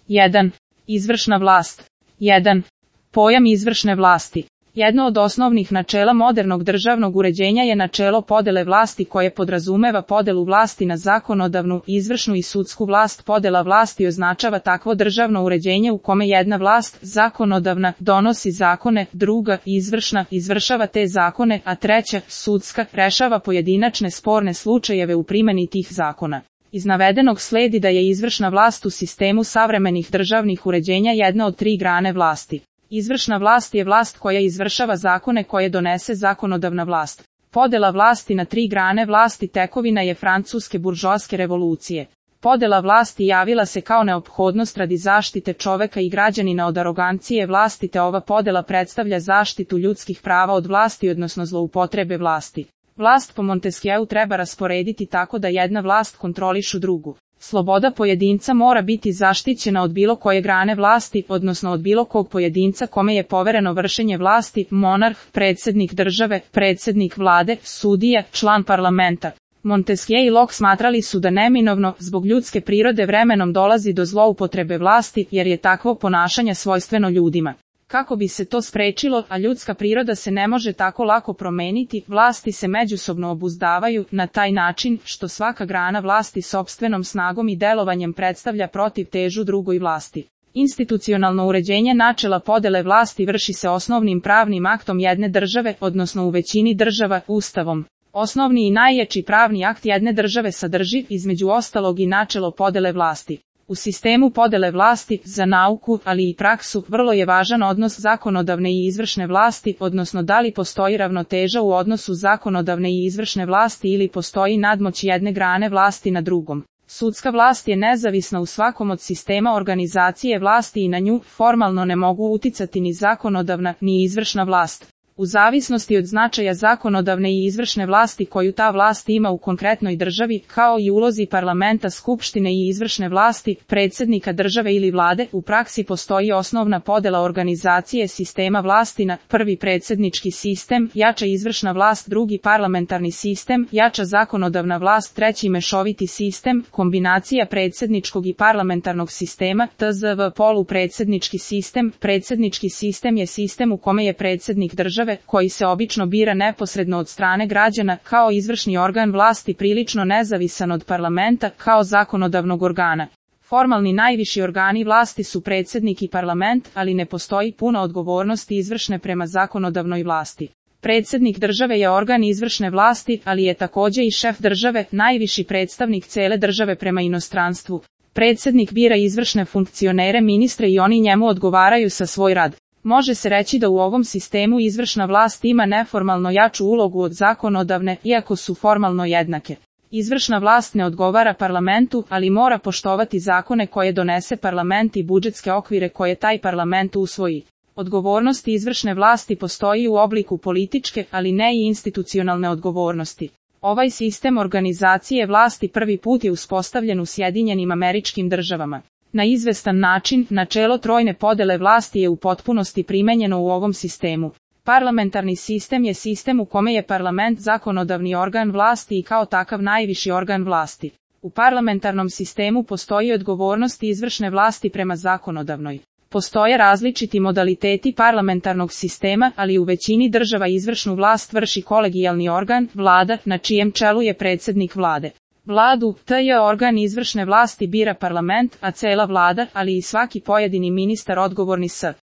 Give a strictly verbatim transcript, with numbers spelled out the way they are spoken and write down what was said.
jedan. Izvršna vlast. jedan. Pojam izvršne vlasti. Jedno od osnovnih načela modernog državnog uređenja je načelo podele vlasti koje podrazumeva podelu vlasti na zakonodavnu, izvršnu i sudsku vlast. Podela vlasti označava takvo državno uređenje u kome jedna vlast, zakonodavna, donosi zakone, druga, izvršna, izvršava te zakone, a treća, sudska, rešava pojedinačne sporne slučajeve u primjeni tih zakona. Iz navedenog sledi da je izvršna vlast u sistemu savremenih državnih uređenja jedna od tri grane vlasti. Izvršna vlast je vlast koja izvršava zakone koje donese zakonodavna vlast. Podela vlasti na tri grane vlasti tekovina je francuske buržoaske revolucije. Podela vlasti javila se kao neophodnost radi zaštite čoveka i građanina od arogancije vlasti, te ova podela predstavlja zaštitu ljudskih prava od vlasti, odnosno zloupotrebe vlasti. Vlast po Montesquieu treba rasporediti tako da jedna vlast kontrolišu drugu. Sloboda pojedinca mora biti zaštićena od bilo koje grane vlasti, odnosno od bilo kog pojedinca kome je povereno vršenje vlasti, monarh, predsjednik države, predsjednik vlade, sudija, član parlamenta. Montesquieu i Locke smatrali su da neminovno, zbog ljudske prirode, vremenom dolazi do zloupotrebe vlasti, jer je takvo ponašanje svojstveno ljudima. Kako bi se to sprečilo, a ljudska priroda se ne može tako lako promeniti, vlasti se međusobno obuzdavaju na taj način što svaka grana vlasti sopstvenom snagom i delovanjem predstavlja protivtežu drugoj vlasti. Institucionalno uređenje načela podele vlasti vrši se osnovnim pravnim aktom jedne države, odnosno u većini država, Ustavom. Osnovni i najjači pravni akt jedne države sadrži, između ostalog, i načelo podele vlasti. U sistemu podele vlasti, za nauku, ali i praksu, vrlo je važan odnos zakonodavne i izvršne vlasti, odnosno da li postoji ravnoteža u odnosu zakonodavne i izvršne vlasti ili postoji nadmoć jedne grane vlasti na drugom. Sudska vlast je nezavisna u svakom od sistema organizacije vlasti i na nju formalno ne mogu uticati ni zakonodavna, ni izvršna vlast. U zavisnosti od značaja zakonodavne i izvršne vlasti koju ta vlast ima u konkretnoj državi, kao i ulozi parlamenta, skupštine i izvršne vlasti, predsjednika države ili vlade, u praksi postoji osnovna podela organizacije sistema vlasti na: prvi predsjednički sistem, jača izvršna vlast, drugi parlamentarni sistem, jača zakonodavna vlast, treći mešoviti sistem, kombinacija predsjedničkog i parlamentarnog sistema, T Z V polupredsjednički sistem. Predsjednički sistem je sistem u kome je predsjednik države, koji se obično bira neposredno od strane građana, kao izvršni organ vlasti prilično nezavisan od parlamenta, kao zakonodavnog organa. Formalni najviši organi vlasti su predsjednik i parlament, ali ne postoji puna odgovornost izvršne prema zakonodavnoj vlasti. Predsjednik države je organ izvršne vlasti, ali je također i šef države, najviši predstavnik cele države prema inostranstvu. Predsjednik bira izvršne funkcionere, ministre, i oni njemu odgovaraju za svoj rad. Može se reći da u ovom sistemu izvršna vlast ima neformalno jaču ulogu od zakonodavne, iako su formalno jednake. Izvršna vlast ne odgovara parlamentu, ali mora poštovati zakone koje donese parlament i budžetske okvire koje taj parlament usvoji. Odgovornost izvršne vlasti postoji u obliku političke, ali ne i institucionalne odgovornosti. Ovaj sistem organizacije vlasti prvi put je uspostavljen u Sjedinjenim Američkim Državama. Na izvestan način, načelo trojne podele vlasti je u potpunosti primenjeno u ovom sistemu. Parlamentarni sistem je sistem u kome je parlament zakonodavni organ vlasti i kao takav najviši organ vlasti. U parlamentarnom sistemu postoji odgovornost izvršne vlasti prema zakonodavnoj. Postoje različiti modaliteti parlamentarnog sistema, ali u većini država izvršnu vlast vrši kolegijalni organ, vlada, na čijem čelu je predsjednik vlade. Vladu, T J organ izvršne vlasti bira parlament, a cela vlada, ali i svaki pojedini ministar odgovorni s